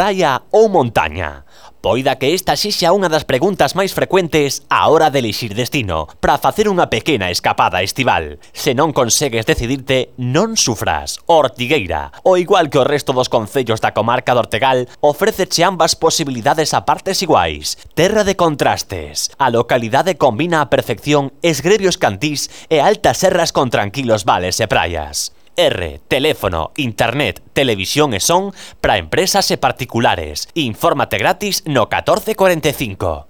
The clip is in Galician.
praia ou montaña? Poida que esta sexa unha das preguntas máis frecuentes á hora de elixir destino para facer unha pequena escapada estival. Se non consegues decidirte, non sufras. Ortigueira, ao igual que o resto dos concellos da comarca do Ortegal, ofréceche ambas posibilidades a partes iguais. Terra de contrastes. A localidade combina a perfección esgrebios cantís e altas serras con tranquilos vales e praias. Teléfono, internet, televisión e son para empresas e particulares. Infórmate gratis no 1445.